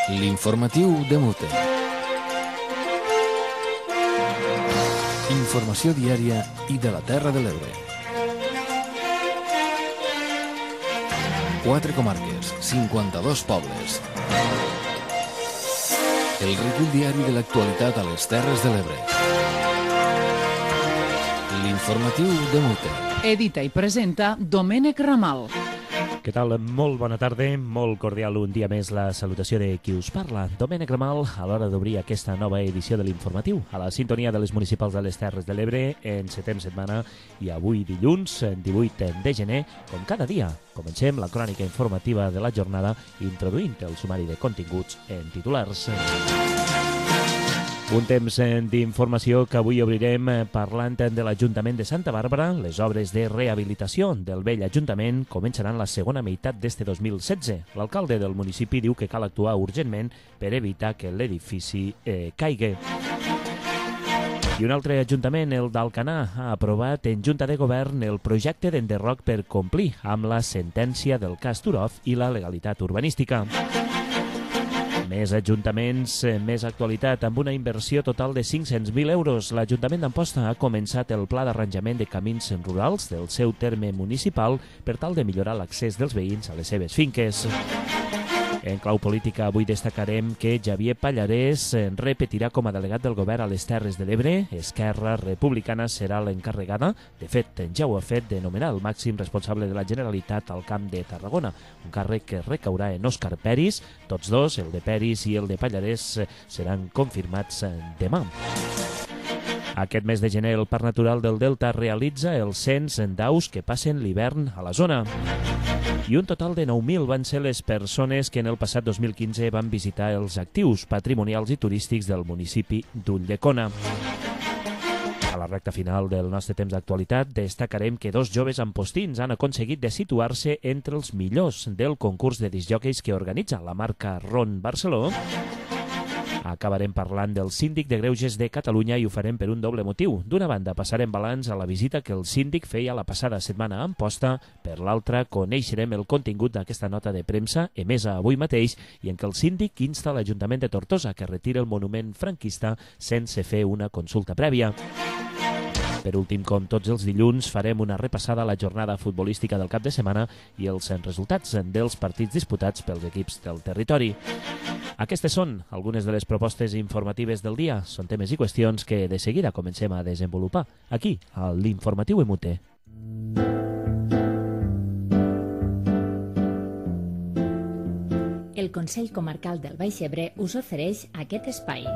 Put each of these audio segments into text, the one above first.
L'informatiu de Mute. Informació diària i de la Terra de l'Ebre. 4 comarques, 52 pobles. El recull diari de l'actualitat a les Terres de l'Ebre. L'informatiu de Mute. Edita i presenta Domènec Ramal. Què tal? Molt bona tarda, molt cordial un dia més la salutació de qui us parla. Domènec Ramal, a l'hora d'obrir aquesta nova edició de l'informatiu, a la sintonia de les municipals de les Terres de l'Ebre, en setem setmana i avui dilluns, 18 de gener, com cada dia. Comencem la crònica informativa de la jornada introduint el sumari de continguts en titulars. Un temps d'informació que avui obrirem parlant de l'Ajuntament de Santa Bàrbara. Les obres de rehabilitació del vell Ajuntament començaran la segona meitat d'este 2016. L'alcalde del municipi diu que cal actuar urgentment per evitar que l'edifici caigui. I un altre ajuntament, el d'Alcanar, ha aprovat en Junta de Govern el projecte d'enderroc per complir amb la sentència del cas Turov i la legalitat urbanística. Més ajuntaments, més actualitat. Amb una inversió total de 500.000 euros, l'Ajuntament d'Amposta ha començat el pla d'arranjament de camins rurals del seu terme municipal per tal de millorar l'accés dels veïns a les seves finques. En clau política, avui destacarem que Xavier Pallarès repetirà com a delegat del govern a les Terres de l'Ebre. Esquerra Republicana serà l'encarregada, de fet ja ho ha fet, de nomenar el màxim responsable de la Generalitat al Camp de Tarragona, un càrrec que recaurà en Òscar Peris. Tots dos, el de Peris i el de Pallarès, seran confirmats demà. Aquest mes de gener, el Parc Natural del Delta realitza el cens d'aus que passen l'hivern a la zona. I un total de 9.000 van ser les persones que en el passat 2015 van visitar els actius patrimonials i turístics del municipi d'Ulldecona. A la recta final del nostre temps d'actualitat destacarem que 2 joves ampostins han aconseguit de situar-se entre els millors del concurs de discjòqueis que organitza la marca Ron Barceló. Acabarem parlant del síndic de Greuges de Catalunya i ho farem per un doble motiu. D'una banda, passarem balanç a la visita que el síndic feia la passada setmana a Amposta. Per l'altra, coneixerem el contingut d'aquesta nota de premsa emesa avui mateix i en què el síndic insta l'Ajuntament de Tortosa que retiri el monument franquista sense fer una consulta prèvia. Per últim, com tots els dilluns, farem una repassada a la jornada futbolística del cap de setmana i els resultats dels partits disputats pels equips del territori. Aquestes són algunes de les propostes informatives del dia. Són temes i qüestions que de seguida comencem a desenvolupar aquí, a l'Informatiu Emute. El Consell Comarcal del Baix Ebre us ofereix aquest espai.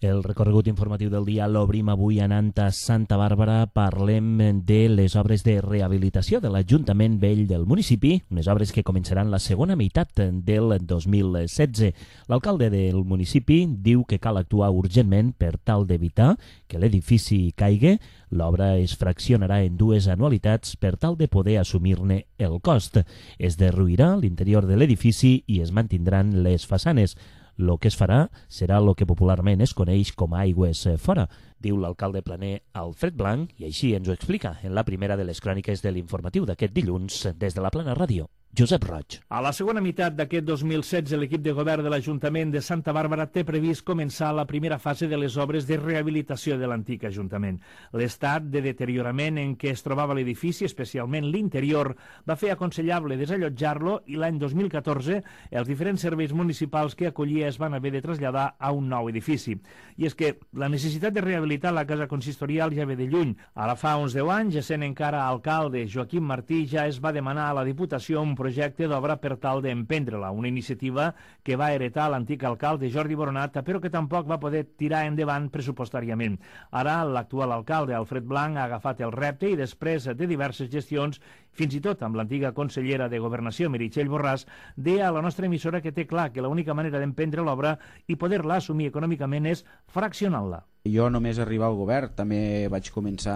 El recorregut informatiu del dia l'obrim avui anant a Santa Bàrbara. Parlem de les obres de rehabilitació de l'Ajuntament Vell del municipi, unes obres que començaran la segona meitat del 2016. L'alcalde del municipi diu que cal actuar urgentment per tal d'evitar que l'edifici caigui. L'obra es fraccionarà en 2 anualitats per tal de poder assumir-ne el cost. Es derruirà l'interior de l'edifici i es mantindran les façanes. Lo que es farà serà lo que popularment es coneix com a aigües fora, diu l'alcalde planer Alfred Blanc, i així ens ho explica en la primera de les cròniques de l'informatiu d'aquest dilluns des de la Plana Ràdio. Josep Roig. A la segona meitat d'aquest 2016, l'equip de govern de l'Ajuntament de Santa Bàrbara té previst començar la primera fase de les obres de rehabilitació de l'antic Ajuntament. L'estat de deteriorament en què es trobava l'edifici, especialment l'interior, va fer aconsellable desallotjar-lo i l'any 2014 els diferents serveis municipals que acollia es van haver de traslladar a un nou edifici. I és que la necessitat de rehabilitar la casa consistorial ja ve de lluny. Ara fa uns 10 anys, essent encara alcalde Joaquim Martí, ja es va demanar a la Diputació un projecte d'obra per tal d'emprendre-la, una iniciativa que va heretar l'antic alcalde Jordi Boronat, però que tampoc va poder tirar endavant pressupostàriament. Ara l'actual alcalde Alfred Blanc ha agafat el repte i després de diverses gestions, fins i tot amb l'antiga consellera de Governació Meritxell Borràs, deia a la nostra emissora que té clar que l'única manera d'emprendre l'obra i poder-la assumir econòmicament és fraccionant-la. Jo només arribar al govern també vaig començar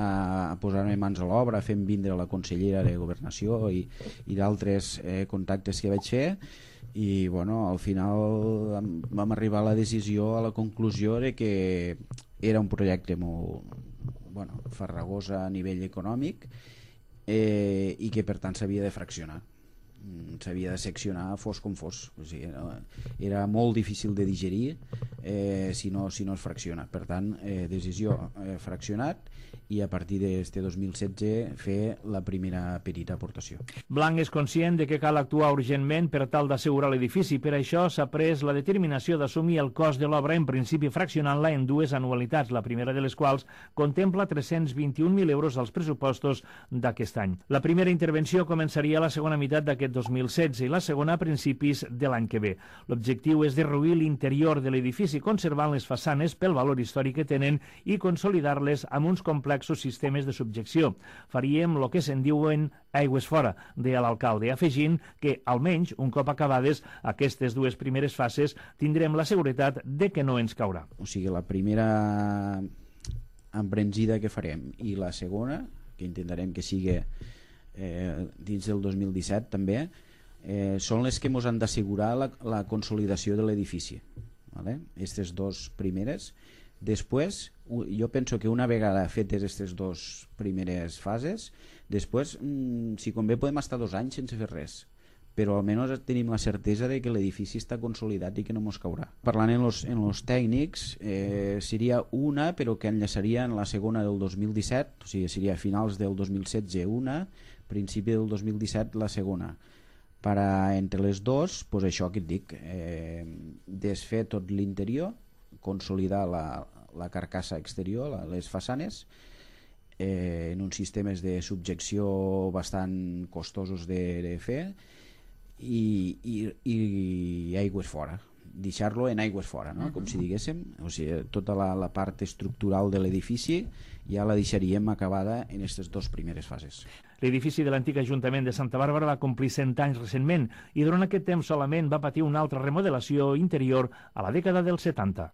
a posar-me mans a l'obra, fent vindre la consellera de Governació i d'altres contactes que vaig fer i bueno, al final vam arribar a la decisió, a la conclusió de que era un projecte molt farragós a nivell econòmic i que per tant s'havia de fraccionar, s'havia de seccionar fos com fos, o sigui, era molt difícil de digerir si no es fracciona. Per tant, decisió fraccionat, i a partir d'este 2016 fer la primera petita aportació. Blanc és conscient de que cal actuar urgentment per tal d'assegurar l'edifici. Per això s'ha pres la determinació d'assumir el cost de l'obra, en principi fraccionant-la en dues anualitats, la primera de les quals contempla 321.000 euros als pressupostos d'aquest any. La primera intervenció començaria a la segona meitat d'aquest 2016 i la segona a principis de l'any que ve. L'objectiu és derruir l'interior de l'edifici, conservant les façanes pel valor històric que tenen i consolidar-les amb uns complexos sistemes de subjecció. Faríem el que se'n diuen aigües fora, deia l'alcalde, afegint que, almenys, un cop acabades aquestes dues primeres fases, tindrem la seguretat de que no ens caurà. O sigui, la primera embranzida que farem i la segona, que intentarem que sigui dins del 2017 també, són les que ens han d'assegurar la consolidació de l'edifici. Vale? Aquestes dues primeres. Després, jo penso que una vegada fetes aquestes dues primeres fases, després, si convé, podem estar 2 anys sense fer res, però almenys tenim la certesa de que l'edifici està consolidat i que no ens caurà. Parlant en los tècnics, seria una, però que enllaçaria en la segona del 2017, o sigui, seria a finals del 2016 una, principi del 2017 la segona. Entre les dues, doncs això que et dic, desfer tot l'interior, consolidar la carcassa exterior, les façanes, en uns sistemes de subjecció bastant costosos de fer, i aigües fora, deixar-lo en aigües fora, no? Com si diguéssim, o sigui, tota la part estructural de l'edifici ja la deixaríem acabada en aquestes dues primeres fases. L'edifici de l'antic Ajuntament de Santa Bàrbara va complir 100 anys recentment i durant aquest temps solament va patir una altra remodelació interior a la dècada dels 70.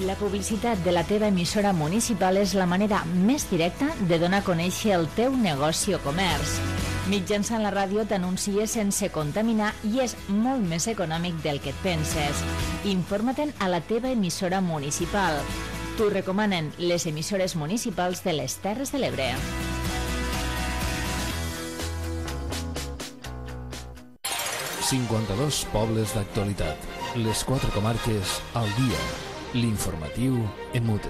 La publicitat de la teva emissora municipal és la manera més directa de donar a conèixer el teu negoci o comerç. Mitjançant la ràdio t'anuncies sense contaminar i és molt més econòmic del que et penses. Informa-te'n a la teva emissora municipal. T'ho recomanen les emissores municipals de les Terres de l'Ebre. ...52 pobles d'actualitat. Les 4 comarques al dia. L'informatiu en mute.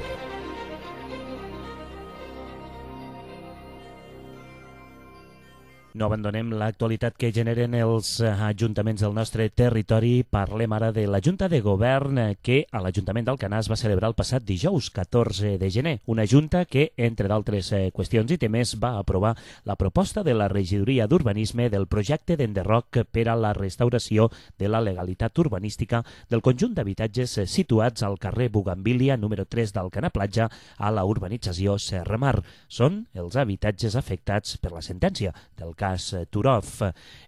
No abandonem l'actualitat que generen els ajuntaments del nostre territori. Parlem ara de la Junta de Govern que a l'Ajuntament d'Alcanar es va celebrar el passat dijous 14 de gener. Una junta que, entre d'altres qüestions i temes, va aprovar la proposta de la regidoria d'urbanisme del projecte d'enderroc per a la restauració de la legalitat urbanística del conjunt d'habitatges situats al carrer Bugambília, número 3 d'Alcanar Platja, a la urbanització Serramar. Són els habitatges afectats per la sentència del cas Turov.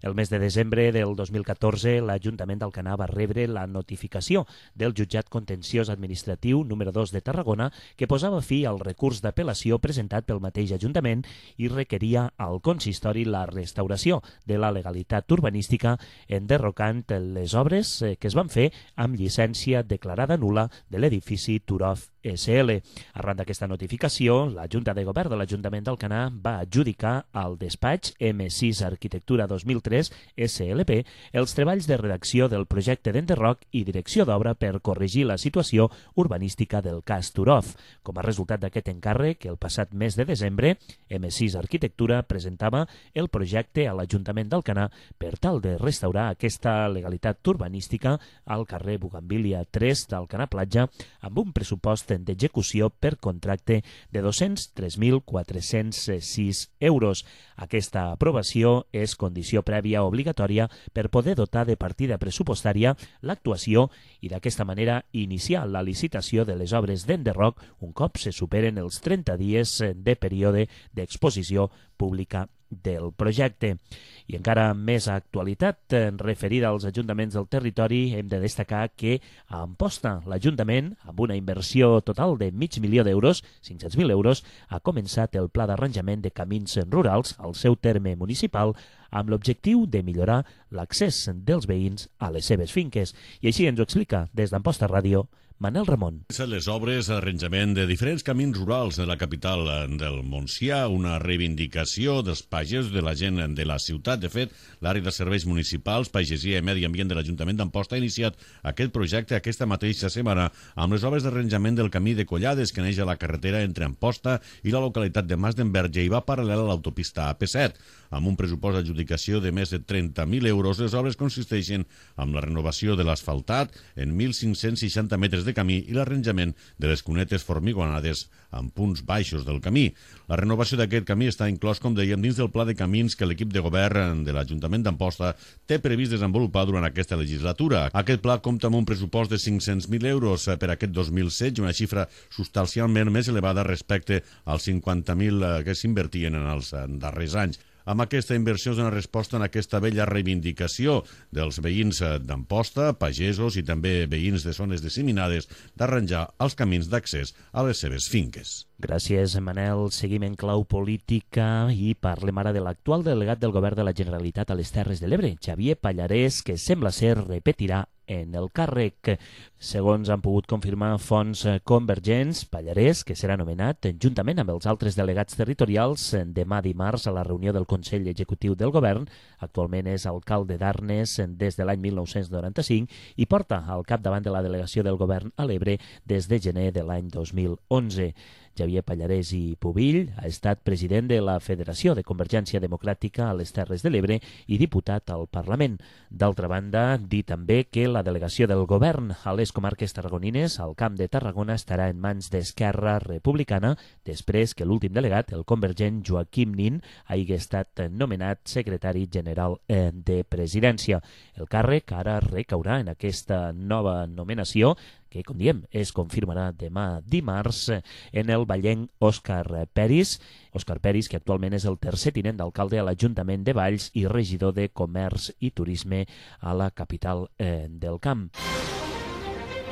El mes de desembre del 2014, l'Ajuntament d'Alcanar va rebre la notificació del jutjat contenciós administratiu número 2 de Tarragona que posava fi al recurs d'apel·lació presentat pel mateix Ajuntament i requeria al consistori la restauració de la legalitat urbanística enderrocant les obres que es van fer amb llicència declarada nul·la de l'edifici Turov SL. Arran d'aquesta notificació, la Junta de Govern de l'Ajuntament d'Alcanar va adjudicar al despatx M6 Arquitectura 2003 SLP els treballs de redacció del projecte d'enderroc i direcció d'obra per corregir la situació urbanística del cas Turov. Com a resultat d'aquest encàrrec, el passat mes de desembre, M6 Arquitectura presentava el projecte a l'Ajuntament d'Alcanar per tal de restaurar aquesta legalitat urbanística al carrer Bugambília 3 d'Alcanar Platja amb un pressupost d'execució per contracte de 203.406 euros. Aquesta aprovació és condició prèvia obligatòria per poder dotar de partida pressupostària l'actuació i d'aquesta manera iniciar la licitació de les obres d'enderroc un cop se superen els 30 dies de període d'exposició pública del projecte. I encara més actualitat referida als ajuntaments del territori, hem de destacar que a Amposta l'Ajuntament, amb una inversió total de $500.000, 500.000 euros, ha començat el pla d'arranjament de camins rurals al seu terme municipal amb l'objectiu de millorar l'accés dels veïns a les seves finques. I així ens ho explica des d'Amposta Ràdio Manel Ramon. Les obres d'arranjament de diferents camins rurals de la capital del Montsià, una reivindicació dels pagesos, de la gent de la ciutat. De fet, l'àrea de serveis municipals, pagesia i medi ambient de l'Ajuntament d'Amposta ha iniciat aquest projecte aquesta mateixa setmana amb les obres d'arranjament del camí de Collades, que neix a la carretera entre Amposta i la localitat de Mas d'Enverge i va paral·lel a l'autopista AP7. Amb un pressupost d'adjudicació de més de 30.000 euros, les obres consisteixen en la renovació de l'asfaltat en 1.560 metres de camí i l'arranjament de les cunetes formigonades en punts baixos del camí. La renovació d'aquest camí està inclòs, com dèiem, dins del pla de camins que l'equip de govern de l'Ajuntament d'Amposta té previst desenvolupar durant aquesta legislatura. Aquest pla compta amb un pressupost de 500.000 euros per aquest 2016, una xifra substancialment més elevada respecte als 50.000 que s'invertien en els darrers anys. Amb aquesta inversió es dona resposta en aquesta vella reivindicació dels veïns d'Amposta, pagesos i també veïns de zones disseminades d'arranjar els camins d'accés a les seves finques. Gràcies, Manel. Seguim en clau política i parlem ara de l'actual delegat del Govern de la Generalitat a les Terres de l'Ebre, Xavier Pallarès, que sembla ser repetirà en el càrrec. Segons han pogut confirmar fonts convergents, Pallarès, que serà nomenat juntament amb els altres delegats territorials demà dimarts a la reunió del Consell Executiu del Govern, actualment és alcalde d'Arnes des de l'any 1995 i porta al capdavant de la delegació del Govern a l'Ebre des de gener de l'any 2011. Xavier Pallarès i Pubill ha estat president de la Federació de Convergència Democràtica a les Terres de l'Ebre i diputat al Parlament. D'altra banda, dir també que la delegació del govern a les comarques tarragonines al Camp de Tarragona estarà en mans d'Esquerra Republicana després que l'últim delegat, el convergent Joaquim Nin, hagi estat nomenat secretari general de Presidència. El càrrec ara recaurà en aquesta nova nomenació que, com diem, es confirmarà demà dimarts en el vallenc Òscar Peris. Òscar Peris, que actualment és el tercer tinent d'alcalde a l'Ajuntament de Valls i regidor de Comerç i Turisme a la capital del Camp.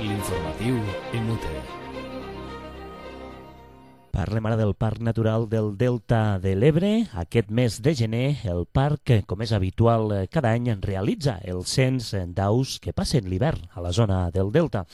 L'informatiu MUT. Parlem ara del Parc Natural del Delta de l'Ebre. Aquest mes de gener, el parc, com és habitual cada any, realitza el cens d'aus que passen l'hivern a la zona del Delta.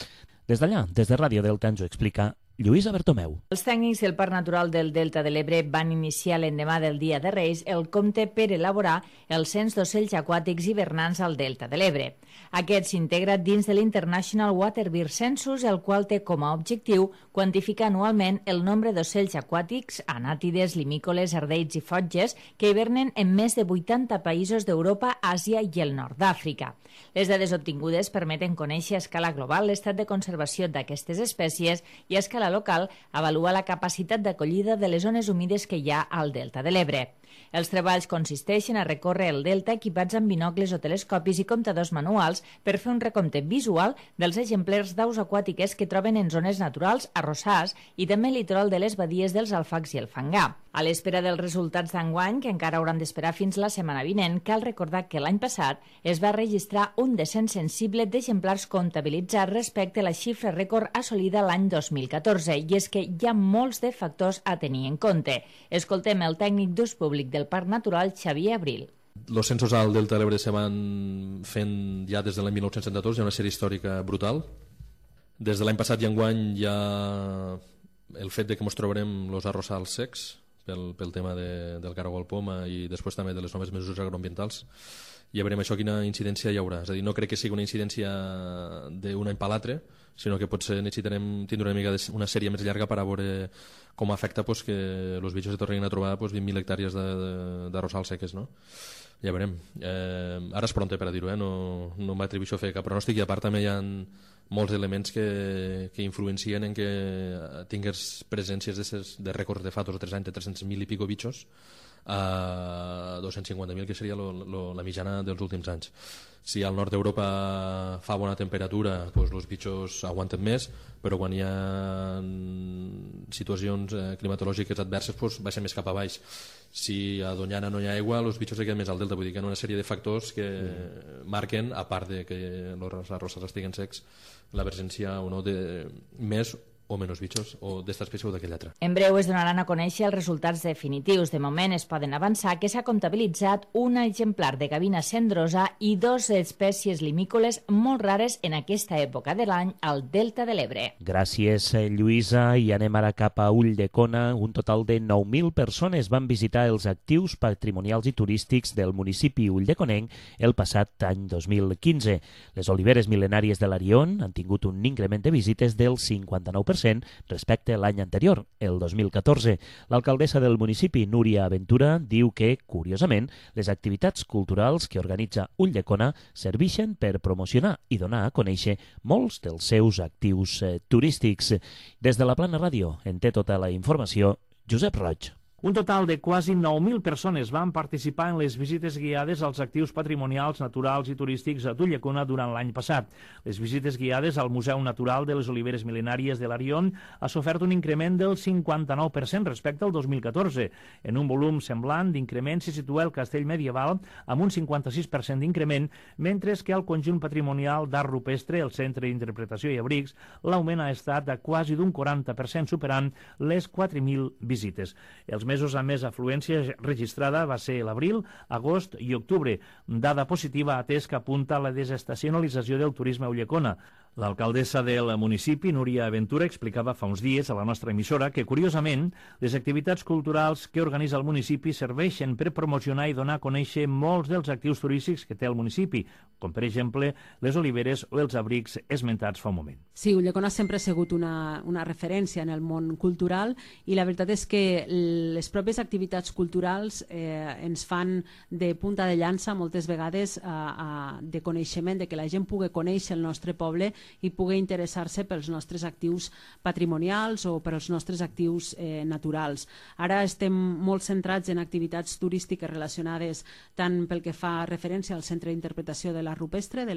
Des d'allà, des de Ràdio Delta, ens ho explica Lluïsa Bertomeu. Els tècnics del Parc Natural del Delta de l'Ebre van iniciar l'endemà del Dia de Reis el compte per elaborar el cens d'ocells aquàtics hivernants al Delta de l'Ebre. Aquest s'integra dins de l'International Waterbird Census, el qual té com a objectiu quantificar anualment el nombre d'ocells aquàtics, anàtides, limícoles, ardeids i fotges que hivernen en més de 80 països d'Europa, Àsia i el nord d'Àfrica. Les dades obtingudes permeten conèixer a escala global l'estat de conservació d'aquestes espècies i a escala local avaluar la capacitat d'acollida de les zones humides que hi ha al Delta de l'Ebre. Els treballs consisteixen a recórrer el delta equipats amb binocles o telescopis i comptadors manuals per fer un recompte visual dels exemplars d'aus aquàtiques que troben en zones naturals, arrossars i també al litoral de les badies dels Alfacs i el Fangar. A l'espera dels resultats d'enguany, que encara hauran d'esperar fins la setmana vinent, cal recordar que l'any passat es va registrar un descens sensible d'exemplars comptabilitzats respecte a la xifra rècord assolida l'any 2014, i és que hi ha molts de factors a tenir en compte. Escoltem el tècnic d'ús públic del Parc Natural, Xavier Abril. Els censos al Delta de l'Ebre se van fent ja des de l'any 1974, hi ha una sèrie històrica brutal. Des de l'any passat i enguany hi ha el fet de que ens trobarem els arrossals secs pel tema del caragol poma i després també de les noves mesures agroambientals. Ja veurem això quina incidència hi haurà. És a dir, no crec que sigui una incidència d'un any per l'altre, sinó que potser necessitarem tindre una mica una sèrie més llarga per a veure com afecta que els bitxos se tornin a trobar 20.000 hectàrees d'arrossals seques, no? Ja veurem. Ara és pront per a dir-ho, no m'atribueixo a fer cap pronòstic, i a part també hi ha molts elements que influencien en que tingués presències de rècords de fa 2 o 3 anys de 300.000 i pico bitxos a 250.000, que seria la mitjana dels últims anys. Si al nord d'Europa fa bona temperatura, els bitxos aguanten més, però quan hi ha situacions climatològiques adverses baixen més cap a baix. Si a Doñana no hi ha aigua, els bitxos se queden més al delta. Vull dir que hi ha una sèrie de factors que marquen, a part de que els arrossars estiguen secs, la presència o no de més o menos bichos, o d'esta espècie o d'aquella altra. En breu es donaran a conèixer els resultats definitius. De moment es poden avançar que s'ha comptabilitzat un exemplar de gavina cendrosa i 2 espècies limícoles molt rares en aquesta època de l'any al Delta de l'Ebre. Gràcies, Lluïsa. I anem ara cap a Ulldecona. Un total de 9.000 persones van visitar els actius patrimonials i turístics del municipi ulldeconenc el passat any 2015. Les oliveres mil·lenàries de l'Arion han tingut un increment de visites del 59% respecte a l'any anterior, el 2014. L'alcaldessa del municipi, Núria Aventura, diu que, curiosament, les activitats culturals que organitza Ulldecona serveixen per promocionar i donar a conèixer molts dels seus actius turístics. Des de la Plana Ràdio en té tota la informació Josep Roig. Un total de quasi 9.000 persones van participar en les visites guiades als actius patrimonials, naturals i turístics d'Ulldecona durant l'any passat. Les visites guiades al Museu Natural de les Oliveres Mil·lenàries de l'Arion ha sofert un increment del 59% respecte al 2014. En un volum semblant d'increment s'hi situa el Castell Medieval amb un 56% d'increment, mentre que al conjunt patrimonial d'art rupestre, el Centre d'Interpretació i Abrics, l'augment ha estat de quasi d'un 40%, superant les 4.000 visites. Els mesos amb més afluència registrada va ser l'abril, agost i octubre, dada positiva atès que apunta a la desestacionalització del turisme a Ulldecona. L'alcaldessa del municipi, Núria Aventura, explicava fa uns dies a la nostra emissora que, curiosament, les activitats culturals que organitza el municipi serveixen per promocionar i donar a conèixer molts dels actius turístics que té el municipi, com per exemple les oliveres o els abrics esmentats fa un moment. Sí, Ulldecona sempre ha sigut una referència en el món cultural i la veritat és que les pròpies activitats culturals ens fan de punta de llança moltes vegades de coneixement, de que la gent pugui conèixer el nostre poble i pugui interessar-se pels nostres actius patrimonials o pels nostres actius naturals. Ara estem molt centrats en activitats turístiques relacionades tant pel que fa referència al Centre d'Interpretació de l'Art Rupestre de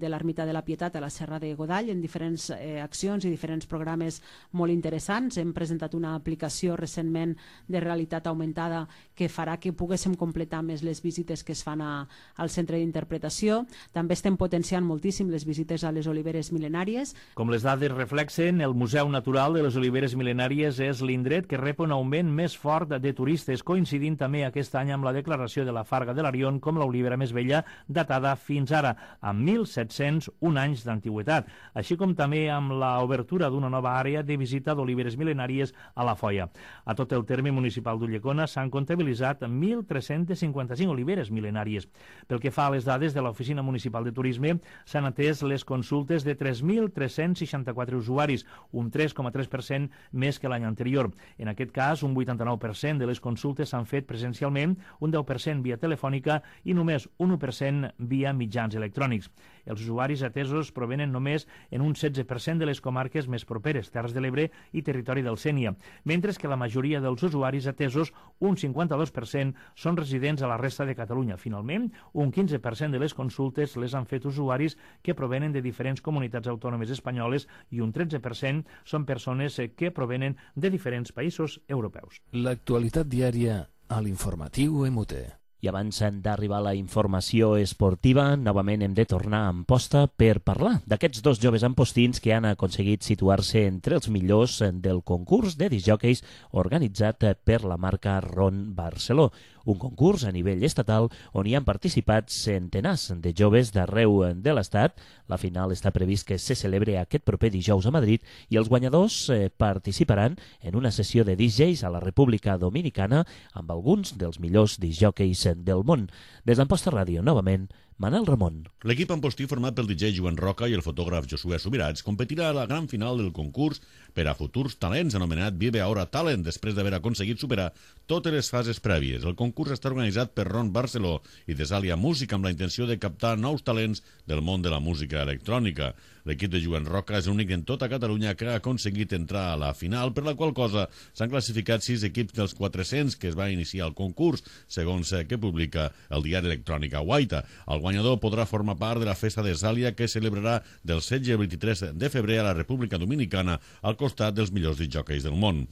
l'Ermita de la Pietat a la Serra de Godall, en diferents accions i diferents programes molt interessants. Hem presentat una aplicació recentment de realitat augmentada que farà que poguéssim completar més les visites que es fan al Centre d'Interpretació. També estem potenciant moltíssim les visites a les oliveres mil·lenàries. Com les dades reflexen, el Museu Natural de les Oliveres Mil·lenàries és l'indret que rep un augment més fort de turistes, coincidint també aquest any amb la declaració de la Farga de l'Arion com l'olivera més vella datada fins ara, amb 1.701 anys d'antiguitat, així com també amb l'obertura d'una nova àrea de visita d'oliveres mil·lenàries a la Foia. A tot el terme municipal d'Ulldecona s'han comptabilitzat 1.355 oliveres mil·lenàries. Pel que fa a les dades de l'Oficina Municipal de Turisme, s'han atès les consultes de 3.364 usuaris, un 3,3% més que l'any anterior. En aquest cas, un 89% de les consultes s'han fet presencialment, un 10% via telefònica i només un 1% via mitjans electrònics. Els usuaris atesos provenen només en un 16% de les comarques més properes, Terres de l'Ebre i Territori del Sénia, mentre que la majoria dels usuaris atesos, un 52%, són residents a la resta de Catalunya. Finalment, un 15% de les consultes les han fet usuaris que provenen de diferents comunitats autònomes espanyoles i un 13% són persones que provenen de diferents països europeus. L'actualitat diària a l'informatiu MUT. I abans d'arribar a la informació esportiva, novament hem de tornar a Amposta per parlar d'aquests dos joves ampostins que han aconseguit situar-se entre els millors del concurs de discjòqueis organitzat per la marca Ron Barceló, un concurs a nivell estatal on hi han participat centenars de joves d'arreu de l'Estat. La final està previst que se celebre aquest proper dijous a Madrid i els guanyadors participaran en una sessió de DJs a la República Dominicana amb alguns dels millors discjòqueis del món. Des d'Amposta Ràdio, novament, Manel Ramon. L'equip ampostí format pel DJ Joan Roca i el fotògraf Josué Subirats competirà a la gran final del concurs per a futurs talents anomenat Vive Ahora Talent, després d'haver aconseguit superar totes les fases prèvies. El concurs està organitzat per Ron Barceló i Desalia Música amb la intenció de captar nous talents del món de la música electrònica. L'equip de Joan Roca és l'únic en tota Catalunya que ha aconseguit entrar a la final, per la qual cosa s'han classificat 6 equips dels 400 que es va iniciar el concurs, segons que publica el diari electrònic Guaita. El guany guanyador podrà formar part de la festa de Sàlia que celebrarà del 16 al 23 de febrer a la República Dominicana al costat dels millors discjòqueis del món.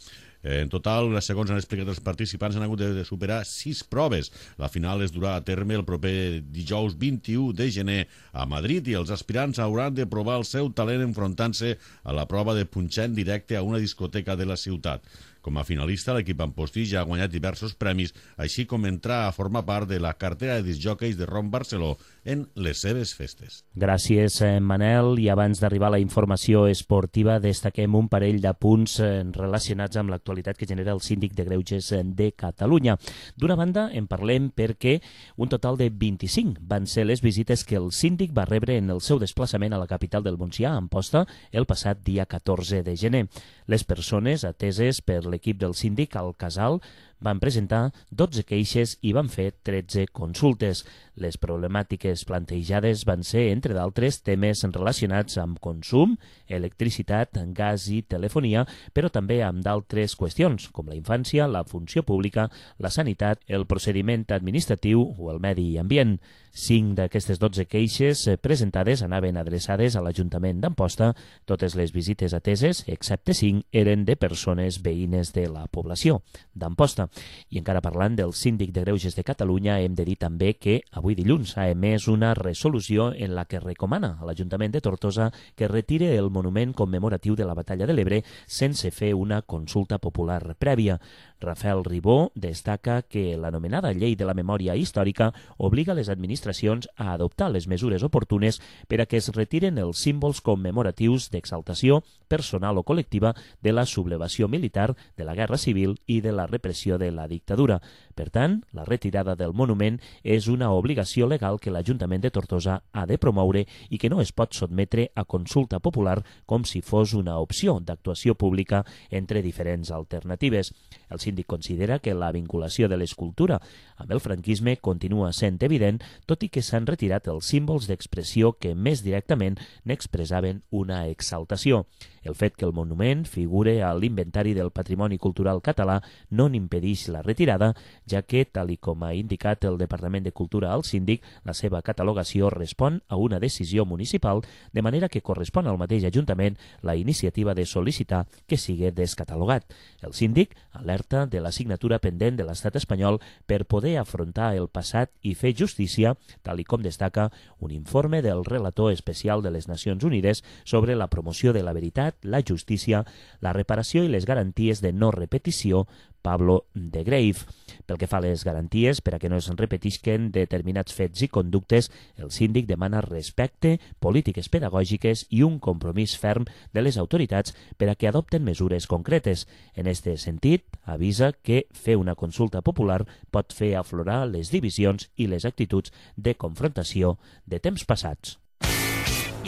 En total, segons han explicat els participants, han hagut de superar 6 proves. La final es durà a terme el proper dijous 21 de gener a Madrid i els aspirants hauran de provar el seu talent enfrontant-se a la prova de punxar en directe a una discoteca de la ciutat. Com a finalista, l'equip Amposti ja ha guanyat diversos premis, així com entrar a formar part de la cartera de discjòqueis de Ron Barceló en les seves festes. Gràcies, Manel. I abans d'arribar a la informació esportiva, destaquem un parell de punts relacionats amb l'actualitat que genera el Síndic de Greuges de Catalunya. D'una banda, en parlem perquè un total de 25 van ser les visites que el síndic va rebre en el seu desplaçament a la capital del Montsià, Amposta, el passat dia 14 de gener. Les persones ateses per l'equip del síndic al casal van presentar 12 queixes i van fer 13 consultes. Les problemàtiques plantejades van ser, entre d'altres, temes relacionats amb consum, electricitat, gas i telefonia, però també amb d'altres qüestions, com la infància, la funció pública, la sanitat, el procediment administratiu o el medi ambient. 5 d'aquestes 12 queixes presentades anaven adreçades a l'Ajuntament d'Amposta. Totes les visites ateses, excepte 5, eren de persones veïnes de la població d'Amposta. I encara parlant del Síndic de Greuges de Catalunya, hem de dir també que avui dilluns ha emès una resolució en la que recomana a l'Ajuntament de Tortosa que retire el monument commemoratiu de la Batalla de l'Ebre sense fer una consulta popular prèvia. Rafael Ribó destaca que l'anomenada Llei de la Memòria Històrica obliga les administracions a adoptar les mesures oportunes per a que es retiren els símbols commemoratius d'exaltació personal o col·lectiva de la sublevació militar, de la Guerra Civil i de la repressió de la dictadura. Per tant, la retirada del monument és una obligació legal que l'Ajuntament de Tortosa ha de promoure i que no es pot sotmetre a consulta popular com si fos una opció d'actuació pública entre diferents alternatives. El síndic considera que la vinculació de l'escultura amb el franquisme continua sent evident, tot i que s'han retirat els símbols d'expressió que més directament n'expressaven una exaltació. El fet que el monument figure a l'inventari del Patrimoni Cultural Català no n'impedeix la retirada, ja que, tal i com ha indicat el Departament de Cultura al síndic, la seva catalogació respon a una decisió municipal, de manera que correspon al mateix Ajuntament la iniciativa de sol·licitar que sigui descatalogat. El síndic alerta de la signatura pendent de l'Estat espanyol per poder afrontar el passat i fer justícia, tal i com destaca un informe del relator especial de les Nacions Unides sobre la promoció de la veritat, la justícia, la reparació i les garanties de no repetició, Pablo de Grave. Pel que fa a les garanties, per a que no es repetisquen determinats fets i conductes, el síndic demana respecte, polítiques pedagògiques i un compromís ferm de les autoritats per a que adopten mesures concretes. En aquest sentit, avisa que fer una consulta popular pot fer aflorar les divisions i les actituds de confrontació de temps passats.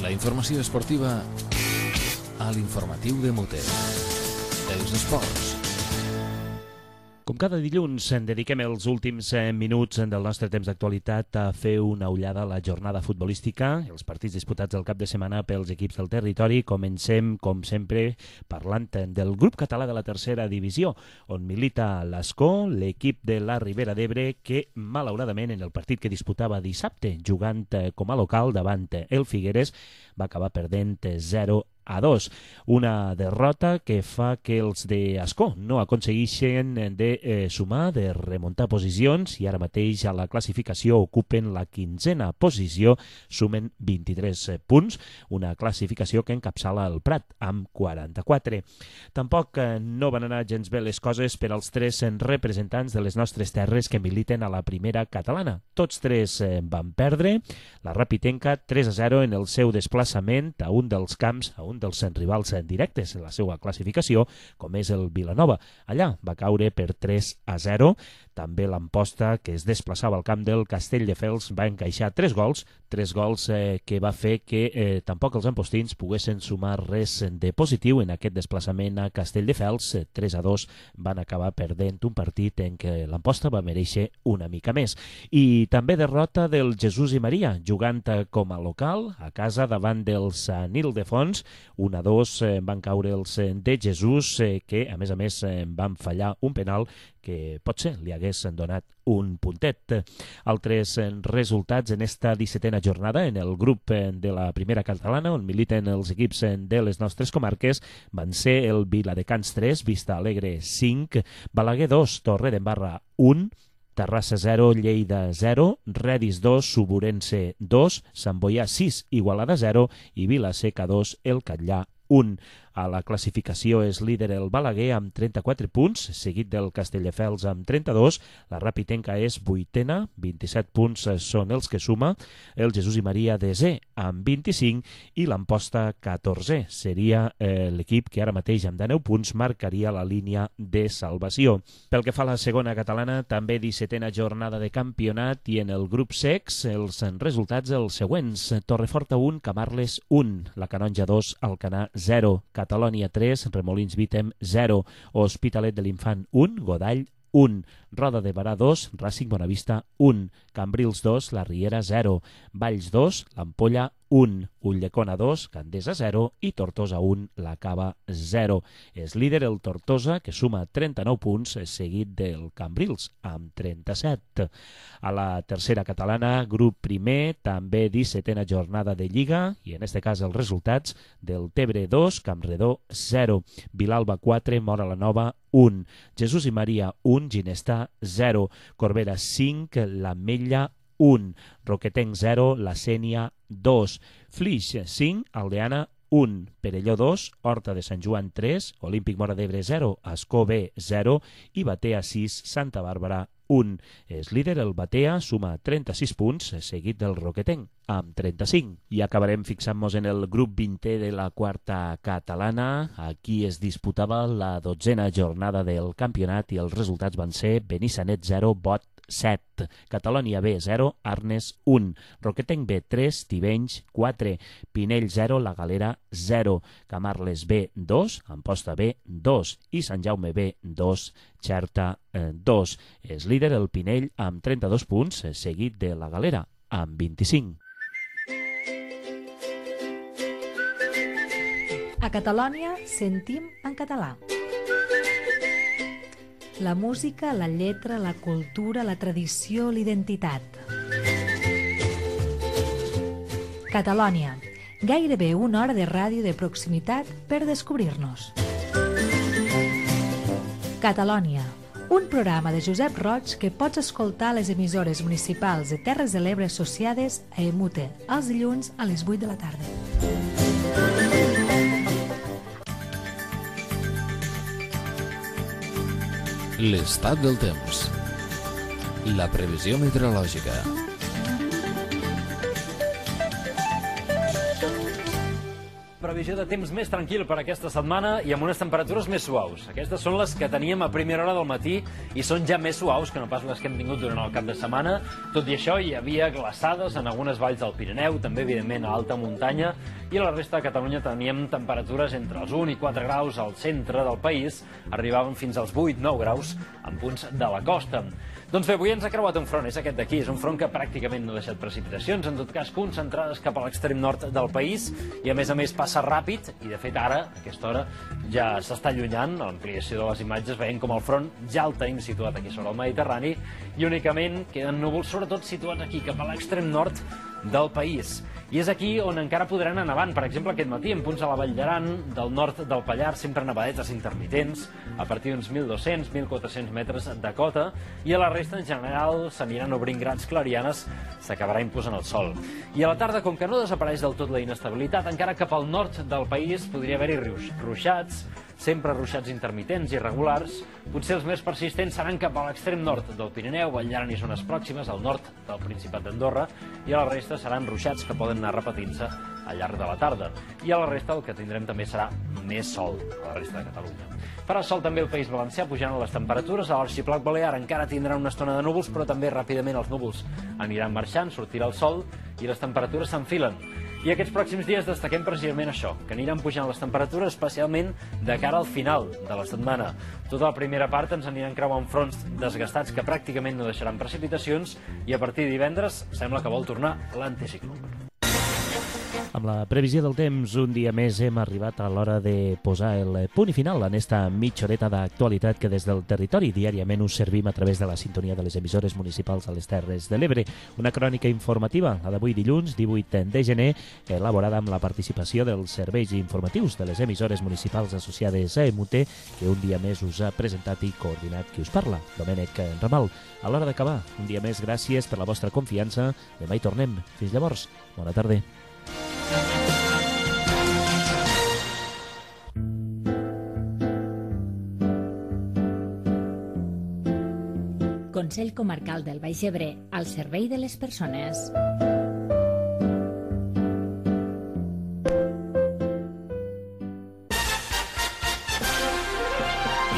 La informació esportiva a l'informatiu de Mote. Els esports. Com cada dilluns, dediquem els últims minuts del nostre temps d'actualitat a fer una ullada a la jornada futbolística, els partits disputats el cap de setmana pels equips del territori. Comencem, com sempre, parlant del grup català de la tercera divisió, on milita l'Ascó, l'equip de la Ribera d'Ebre, que, malauradament, en el partit que disputava dissabte, jugant com a local davant el Figueres, va acabar perdent 0-2. Una derrota que fa que els d'Ascó no aconsegueixen de sumar, de remuntar posicions, i ara mateix a la classificació ocupen la 15a posició, sumen 23 punts, una classificació que encapçala el Prat amb 44. Tampoc no van anar gens bé les coses per als 3 representants de les nostres terres que militen a la primera catalana. Tots 3 van perdre, la Rapitenca 3-0 en el seu desplaçament a un dels camps, a un dels rivals directes en la seva classificació, com és el Vilanova. Allà va caure per 3-0. També l'Amposta, que es desplaçava al camp del Castelldefels, va encaixar 3 gols que va fer que tampoc els ampostins poguessin sumar res de positiu en aquest desplaçament a Castelldefels. 3-2 van acabar perdent un partit en què l'Amposta va mereixer una mica més. I també derrota del Jesús i Maria, jugant com a local a casa davant del Sant Ildefons. 1-2 van caure els de Jesús, que a més van fallar un penal que potser li hagués donat un puntet. Altres resultats en esta 17a jornada en el grup de la primera catalana, on militen els equips de les nostres comarques, van ser el Viladecans 3, Vista Alegre 5, Balaguer 2, Torredembarra 1, Terrassa 0, Lleida 0, Redis 2, Suburense 2, Sant Boià 6, Igualada 0 i Vila-seca 2, El Catllà 1. A la classificació és líder el Balaguer amb 34 punts, seguit del Castelldefels amb 32. La Rapitenca és vuitena, 27 punts són els que suma. El Jesús i Maria desè amb 25 i l'Amposta 14. Seria l'equip que ara mateix amb 19 punts marcaria la línia de salvació. Pel que fa a la segona catalana, també 17a jornada de campionat i en el grup secs els resultats els següents. Torreforta 1, Camarles 1, la Canonja 2, Alcanar 0, Catalònia 3, Remolins Vítem 0, Hospitalet de l'Infant 1, Godall 1, Roda de Barà 2, Racing Bonavista 1, Cambrils 2, La Riera 0, Valls 2, l'Ampolla 1, Ulldecona 2, Gandesa 0 i Tortosa 1, la Cava 0. És líder el Tortosa, que suma 39 punts, seguit del Cambrils, amb 37. A la tercera catalana, grup primer, també 17a jornada de Lliga, i en este cas els resultats del Tebre 2, Campredó 0, Vilalba 4, Móra la Nova 1, Jesús i Maria 1, Ginestà 0, Corbera 5, l'Ametlla 1, Roquetenc 0, la Sénia 2, Flix 5, Aldeana 1, Perelló 2, Horta de Sant Joan 3, Olímpic Móra d'Ebre 0, Ascó B 0 i Batea 6, Santa Bàrbara 1. És líder el Batea, suma 36 punts, seguit del Roquetenc, amb 35. I acabarem fixant-nos en el grup 20è de la quarta catalana. Aquí es disputava la 12a jornada del campionat i els resultats van ser Benissanet 0, Bot 7, Catalònia B 0, Arnes 1, Roquetenc B 3, Tivenys 4, Pinell 0, La Galera 0, Camarles B 2, Amposta B 2 i Sant Jaume B 2, Xerta 2. És líder el Pinell amb 32 punts, seguit de La Galera amb 25. A Catalònia sentim en català. La música, la lletra, la cultura, la tradició, l'identitat. Catalònia. Gairebé una hora de ràdio de proximitat per descobrir-nos. Catalònia. Un programa de Josep Roig que pots escoltar a les emissores municipals de Terres de l'Ebre associades a EMUTE els dilluns a les 8 de la tarda. L'estat del temps. La previsió meteorològica. Previsió de temps més tranquil per aquesta setmana i amb unes temperatures més suaus. Aquestes són les que teníem a primera hora del matí i són ja més suaus que no pas les que hem tingut durant el cap de setmana. Tot i això, hi havia glaçades en algunes valls del Pirineu, també, evidentment, a alta muntanya, i a la resta de Catalunya teníem temperatures entre els 1 i 4 graus al centre del país, arribaven fins als 8-9 graus en punts de la costa. Doncs bé, avui ens ha creuat un front, és aquest d'aquí, és un front que pràcticament no ha deixat precipitacions, en tot cas concentrades cap a l'extrem nord del país, i a més passa ràpid, i de fet ara, a aquesta hora, ja s'està allunyant, a l'ampliació de les imatges, veiem com el front ja el tenim situat aquí sobre el Mediterrani, i únicament queden núvols, sobretot situats aquí, cap a l'extrem nord del país. I és aquí on encara podran anar nevant. Per exemple, aquest matí, en punts a la Vall d'Aran, del nord del Pallars, sempre nevadetes intermitents, a partir d'uns 1.200-1.400 metres de cota, i a la resta, en general, s'aniran obrint grans clarianes, s'acabarà imposant el sol. I a la tarda, com que no desapareix del tot la inestabilitat, encara cap al nord del país podria haver-hi ruixats, sempre ruixats intermitents i irregulars. Potser els més persistents seran cap a l'extrem nord del Pirineu, Vall d'Aran i zones pròximes, al nord del Principat d'Andorra, i a la resta seran ruixats que poden anar repetint-se al llarg de la tarda. I a la resta el que tindrem també serà més sol, a la resta de Catalunya. Farà sol també el País Valencià, pujant les temperatures. A l'Arxipèlag Balear encara tindrà una estona de núvols, però també ràpidament els núvols aniran marxant, sortirà el sol i les temperatures s'enfilen. I aquests pròxims dies destaquem precisament això, que aniran pujant les temperatures, especialment de cara al final de la setmana. Tota la primera part ens aniran creuant fronts desgastats que pràcticament no deixaran precipitacions, i a partir de divendres sembla que vol tornar l'anticicló. Amb Amb la previsió del temps, un dia més hem arribat a l'hora de posar el punt i final en esta mitja horeta d'actualitat que des del territori diàriament us servim a través de la sintonia de les emissores municipals a les Terres de l'Ebre. Una crònica informativa, la d'avui dilluns, 18 de gener, elaborada amb la participació dels serveis informatius de les emissores municipals associades a EMUT, que un dia més us ha presentat i coordinat qui us parla, Domènec Ramal. A l'hora d'acabar, un dia més, gràcies per la vostra confiança. Demà hi tornem. Fins llavors, bona tarda. Consell Comarcal del Baix Ebre, al servei de les persones.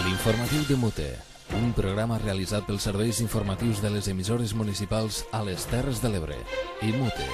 L'informatiu de Mute, un programa realitzat pels serveis informatius de les emissores municipals a les Terres de l'Ebre i Mute.